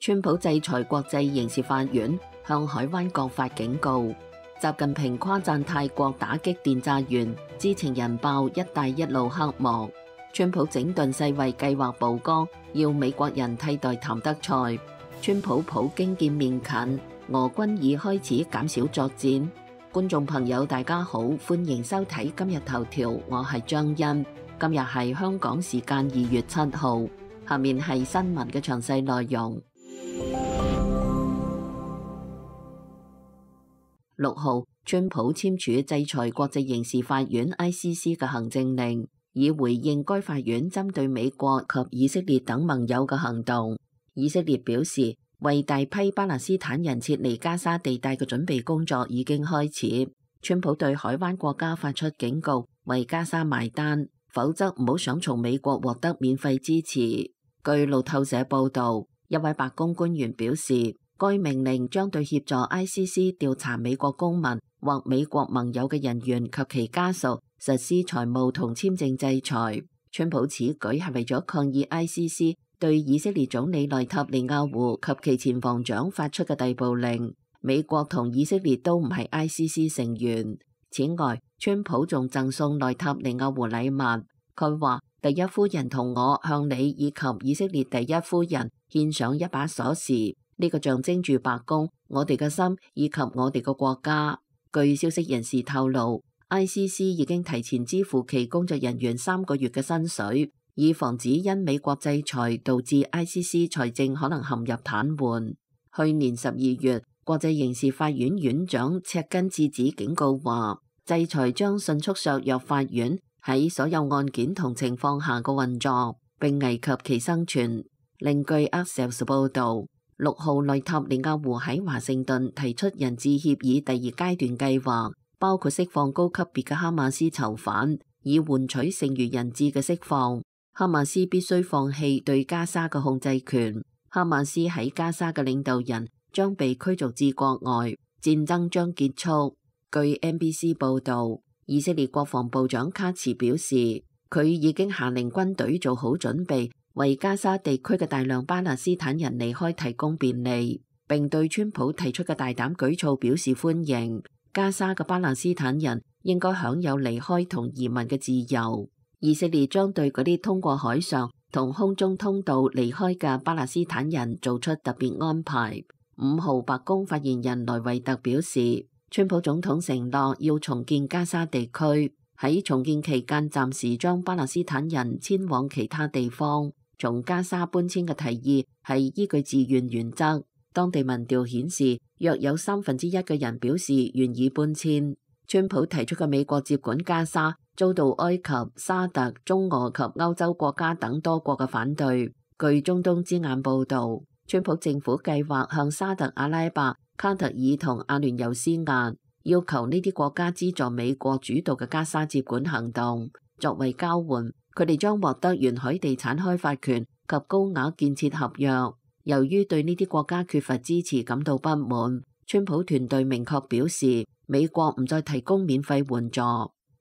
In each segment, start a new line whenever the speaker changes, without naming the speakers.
川普制裁國際刑事法院，向海灣各發警告。習近平誇讚泰國打擊電詐園，知情人爆一帶一路黑幕。川普整頓世衛計劃曝光，要美國人替代譚德塞。川普普京見面近，俄軍已開始減少作戰。觀眾朋友大家好，歡迎收睇今日頭條，我係張欣。今日係香港時間2月7號，下面係新聞嘅詳細內容。6號，川普簽署制裁國際刑事法院 ICC 嘅行政令，以回應該法院針對美國及以色列等盟友嘅行動。以色列表示，為大批巴勒斯坦人撤離加沙地帶嘅準備工作已經開始。川普對海灣國家發出警告，為加沙埋單，否則唔好想從美國獲得免費支持。據路透社報導，一位白宮官員表示，該命令將對協助 ICC 調查美國公民或美國盟友嘅人員及其家屬實施財務同簽證制裁。川普此舉係為咗抗議 ICC 對以色列總理內塔尼亞胡及其前防長發出嘅逮捕令。美國同以色列都唔係 ICC 成員。此外，川普仲贈送內塔尼亞胡禮物。佢話：第一夫人同我向你以及以色列第一夫人獻上一把鎖匙。呢個象徵住白宮、我哋嘅心以及我哋嘅國家。據消息人士透露， ICC 已經提前支付其工作人員3個月嘅薪水，以防止因美國制裁導致 ICC 財政可能陷入癱瘓。去年12月，國際刑事法院院長赤根智子警告話，制裁將迅速削弱法院喺所有案件同情況下嘅運作，並危及其生存。另據 Axios 報導，6號內塔尼亞胡喺華盛頓提出人質協議第2階段計劃，包括釋放高級別嘅哈馬斯囚犯，以換取剩餘人質嘅釋放。哈馬斯必須放棄對加沙嘅控制權。哈馬斯喺加沙嘅領導人將被驅逐至國外，戰爭將結束。據 NBC 報導，以色列國防部長卡茨表示，佢已經下令軍隊做好準備，為加沙地區嘅大量巴勒斯坦人離開提供便利，並對川普提出嘅大膽舉措表示歡迎。加沙嘅巴勒斯坦人應該享有離開同移民嘅自由。以色列將對嗰啲通過海上同空中通道離開嘅巴勒斯坦人做出特別安排。5號，白宮發言人萊維特表示，川普總統承諾要重建加沙地區，喺重建期間暫時將巴勒斯坦人遷往其他地方。從加沙搬遷嘅提議係依據自願原則。當地民調顯示，約有1/3嘅人表示願意搬遷。川普提出嘅美國接管加沙遭到埃及、沙特、中俄及歐洲國家等多國嘅反對。據中東之眼報導，川普政府計劃向沙特阿拉伯、卡特爾同阿聯酋施壓，要求呢啲國家資助美國主導嘅加沙接管行動。作為交換，佢哋將獲得沿海地產開發權及高額建設合約。由於對呢啲國家缺乏支持感到不滿，川普團隊明確表示，美國唔再提供免費援助。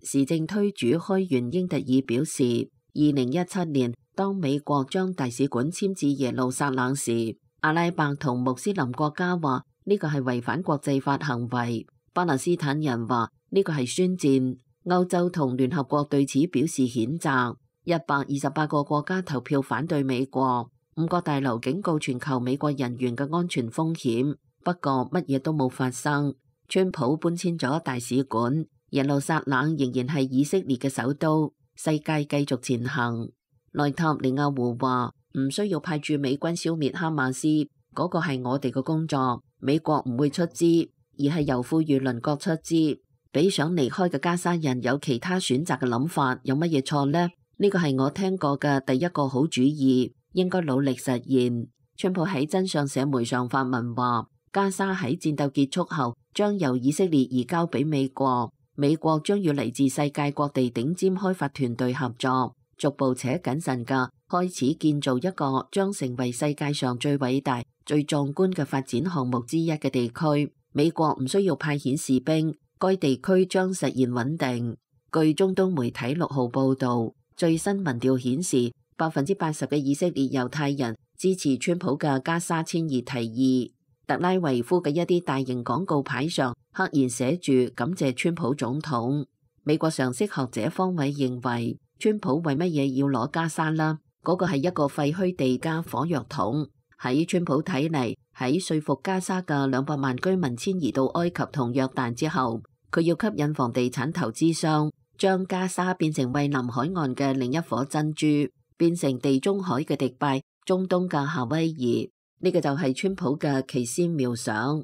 時政推主開源英特爾表示，2017年當美國將大使館遷至耶路撒冷時，阿拉伯同穆斯林國家話呢個係違反國際法行為，巴勒斯坦人話呢個係宣戰。歐洲同聯合國對此表示譴責。128個國家投票反對美國。5角大樓警告全球美國人員嘅安全風險，不過乜嘢都冇發生。川普搬遷咗大使館，耶路撒冷仍然係以色列嘅首都。世界繼續前行。內塔尼亞胡話唔需要派駐美軍消滅哈馬斯，嗰個係我哋嘅工作，美國唔會出資，而係由富裕鄰國出資。俾想離開嘅加沙人有其他選擇嘅諗法，有乜嘢錯呢？呢個係我聽過嘅第一個好主意，應該努力實現。川普喺真相社媒上發文話，加沙喺戰鬥結束後將由以色列移交俾美國，美國將與嚟自世界各地頂尖開發團隊合作，逐步且謹慎嘅開始建造一個將成為世界上最偉大、最壯觀嘅發展項目之一嘅地區。美國唔需要派遣士兵。該地區將實現穩定。據中東媒體6號報導，最新民調顯示，80%嘅以色列猶太人支持川普嘅加沙遷移提議。特拉維夫嘅一啲大型廣告牌上刻意寫住感謝川普總統。美國常識學者方偉認為，川普為乜嘢要攞加沙啦？嗰個係一個廢墟地加火藥桶。喺川普睇嚟，喺說服加沙嘅200萬居民遷移到埃及同約旦之後，佢要吸引房地產投資商，將加沙變成蔚藍海岸嘅另一顆珍珠，變成地中海嘅迪拜、中東嘅夏威夷。呢個就係川普嘅奇思妙想。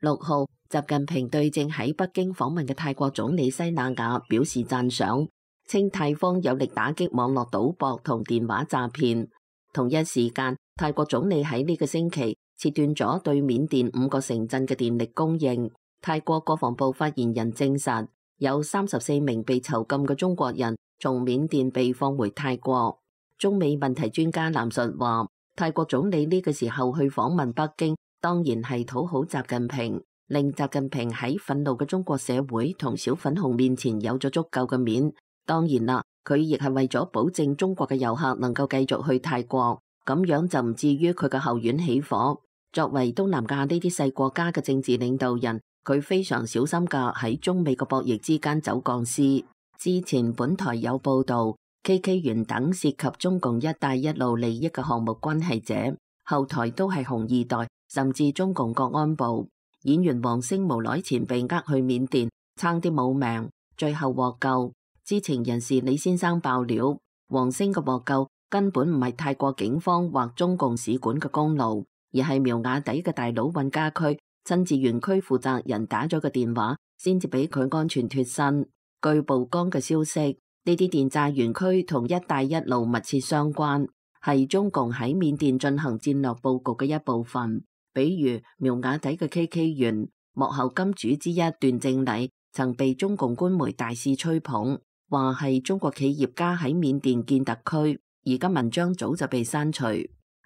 6號，習近平對正喺北京訪問嘅泰國總理西那雅表示讚賞，稱泰方有力打擊網絡賭博同電話詐騙。同一時間，泰國總理喺呢個星期切斷咗對緬甸5個城鎮嘅電力供應。泰國國防部發言人證實，有34名被囚禁嘅中國人從緬甸被放回泰國。中美問題專家藍述話，泰國總理呢個時候去訪問北京，當然係討好習近平，令習近平喺憤怒嘅中國社會同小粉紅面前有咗足夠嘅面。當然啦，佢亦係為咗保證中國嘅遊客能夠繼續去泰國，咁樣就唔至於佢嘅後院起火。作為東南亞呢啲細國家嘅政治領導人，佢非常小心㗎喺中美嘅博弈之間走鋼絲。之前本台有報導，KK 園等涉及中共一帶一路利益嘅項目關係者，後台都係紅二代，甚至中共國安部。演員王星無耐前被呃去緬甸，差啲冇命，最後獲救。知情人士李先生爆料，王星嘅獲救根本唔係泰國警方或中共使館嘅功勞，而係苗瓦底嘅大佬尹家駒親自園區負責人打咗個電話，先至俾佢安全脫身。據曝光嘅消息，呢啲電詐園區同一帶一路密切相關，係中共喺緬甸進行戰略佈局嘅一部分。比如苗瓦底嘅 KK 園幕後金主之一段正禮，曾被中共官媒大肆吹捧，話係中國企業家喺緬甸建特區，而家文章早就被刪除。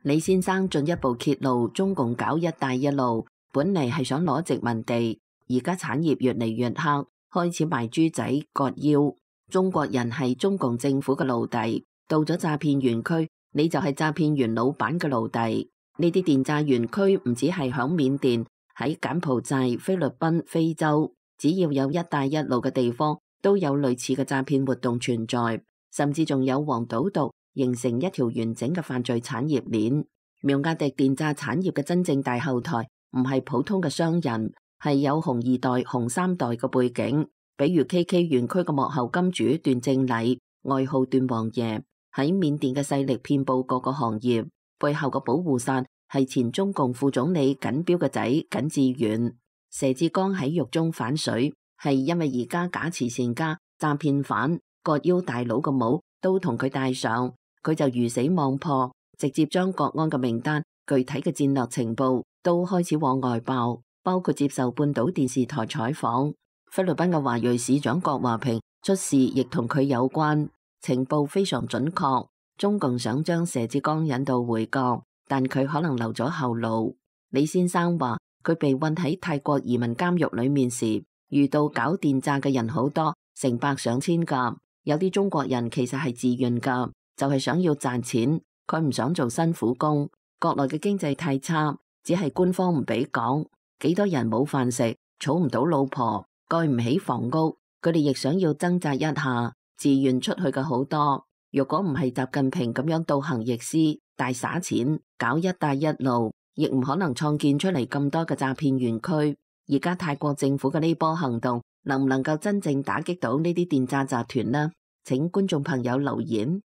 李先生進一步揭露，中共搞一帶一路本嚟係想攞殖民地，而家產業越嚟越黑，開始賣豬仔割腰。中國人係中共政府嘅奴隸，到咗詐騙園區，你就係詐騙園老闆嘅奴隸。呢啲電詐園區唔止係響緬甸，喺柬埔寨、菲律賓、非洲，只要有一帶一路嘅地方，都有類似嘅詐騙活動存在，甚至仲有黃賭毒，形成一條完整嘅犯罪產業鏈。苗瓦底電詐產業嘅真正大後台唔係普通嘅商人，係有紅二代、紅三代嘅背景，比如 KK 園區嘅幕後金主段正禮，外號段王爺，喺緬甸嘅勢力遍佈各個行業。背後嘅保護傘係前中共副總理耿彪嘅仔耿志遠。佘志剛喺獄中反水，係因為而家假慈善家、詐騙犯、割腰大佬嘅帽都同佢戴上，佢就魚死網破，直接將國安嘅名單、具體嘅戰略情報都開始往外爆，包括接受半島電視台採訪。菲律賓嘅華裔市長郭華平出事亦同佢有關，情報非常準確。中共想將佘志剛引導回國，但佢可能留咗後路。李先生話，佢被困喺泰國移民監獄裏面時，遇到搞電詐嘅人好多，成百上千噶。有啲中國人其實係自願噶，就係想要賺錢，佢唔想做辛苦工。國內嘅經濟太差，只係官方唔俾講。幾多人冇飯食，儲唔到老婆，蓋唔起房屋，佢哋亦想要掙扎一下，自願出去嘅好多。如果唔係習近平咁樣倒行逆施，大灑錢搞一帶一路，亦唔可能創建出嚟咁多嘅詐騙園區。而家泰國政府嘅呢波行動，能唔能夠真正打擊到呢啲電詐集團呢？請觀眾朋友留言。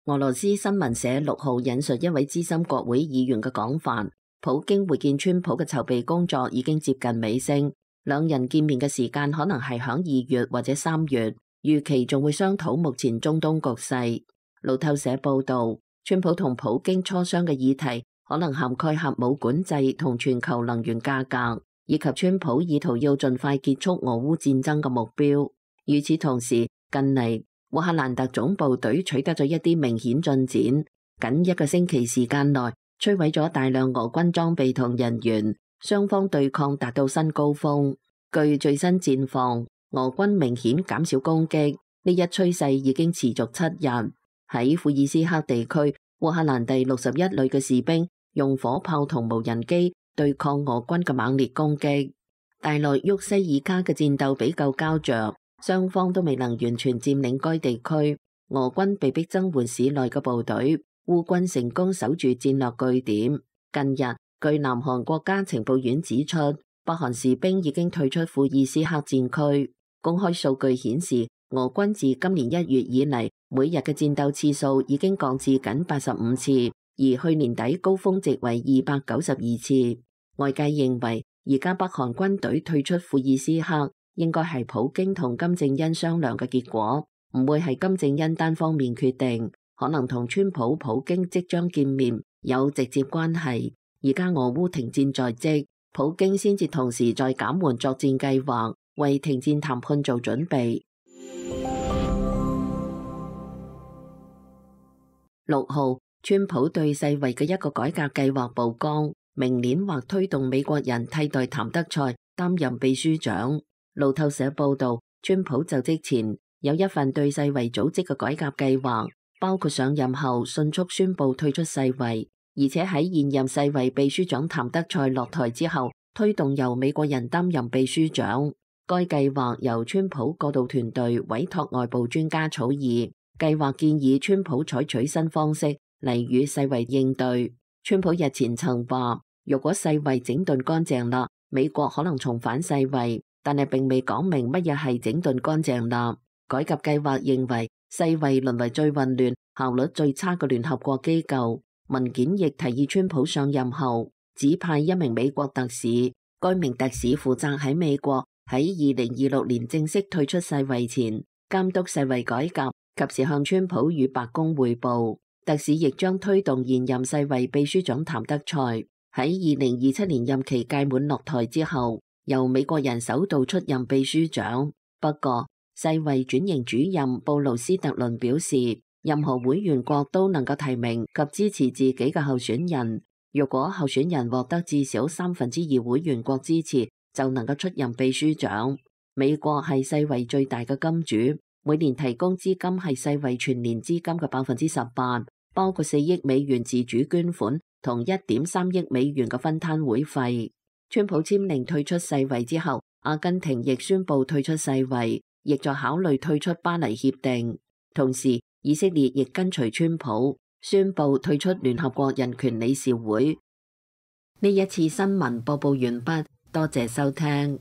俄羅斯新聞社6號引述一位資深國會議員嘅講法，普京會見川普嘅籌備工作已經接近尾聲。兩人見面嘅時間可能係響2月或者3月，預期仲會商討目前中東局勢。路透社報道，川普同普京磋商嘅議題可能涵蓋核武管制同全球能源價格，以及川普意圖要盡快結束俄烏戰爭嘅目標。與此同時，近嚟烏克蘭特種部隊取得咗一啲明顯進展，僅1個星期時間內摧毀咗大量俄軍裝備同人員。雙方對抗達到新高峰。據最新戰況，俄軍明顯減少攻擊，呢一趨勢已經持續7日。喺庫爾斯克地區，烏克蘭第61旅嘅士兵用火炮同無人機對抗俄軍嘅猛烈攻擊。大內沃西爾卡嘅戰鬥比較膠着，雙方都未能完全佔領該地區。俄軍被迫增援市內嘅部隊，烏軍成功守住戰略據點。近日，據南韓國家情報院指出，北韓士兵已經退出庫爾斯克戰區。公開數據顯示，俄軍自今年1月以嚟，每日嘅戰鬥次數已經降至僅85次，而去年底高峰值為292次。外界認為，而家北韓軍隊退出庫爾斯克，應該係普京同金正恩商量嘅結果，唔會係金正恩單方面決定，可能同川普、普京即將見面有直接關係。而家俄烏停戰在即，普京先至同時在減緩作戰計劃，為停戰談判做準備。6號，川普對世衛嘅一個改革計劃曝光，明年或推動美國人替代譚德塞擔任秘書長。路透社報道，川普就職前有一份對世衛組織嘅改革計劃，包括上任後迅速宣布退出世衛，而且喺現任世衛秘書長譚德塞落台之後，推動由美國人擔任秘書長。該計劃由川普過渡團隊委託外部專家草擬，計劃建議川普採取新方式嚟與世衛應對。川普日前曾話，如果世衛整頓乾淨啦，美國可能重返世衛，但係並未講明乜嘢係整頓乾淨啦。改革計劃認為，世衛淪為最混亂、效率最差嘅聯合國機構。文件亦提議川普上任後指派一名美國特使，該名特使負責喺美國喺2026年正式退出世衛前監督世衛改革，及時向川普與白宮匯報。特使亦將推動現任世衛秘書長譚德塞喺2027年任期屆滿落台之後，由美國人首度出任秘書長。不過，世衛轉型主任布魯斯特倫表示，任何會員國都能夠提名及支持自己嘅候選人。如果候選人獲得至少2/3會員國支持，就能夠出任秘書長。美國係世衛最大嘅金主，每年提供資金係世衛全年資金嘅18%，包括4億美元自主捐款同1.3億美元嘅分攤會費。川普簽令退出世衛之後，阿根廷亦宣布退出世衛，亦在考慮退出巴黎協定。同時，以色列亦跟隨川普宣布退出聯合國人權理事會。呢一次新聞播報完畢，多謝收聽。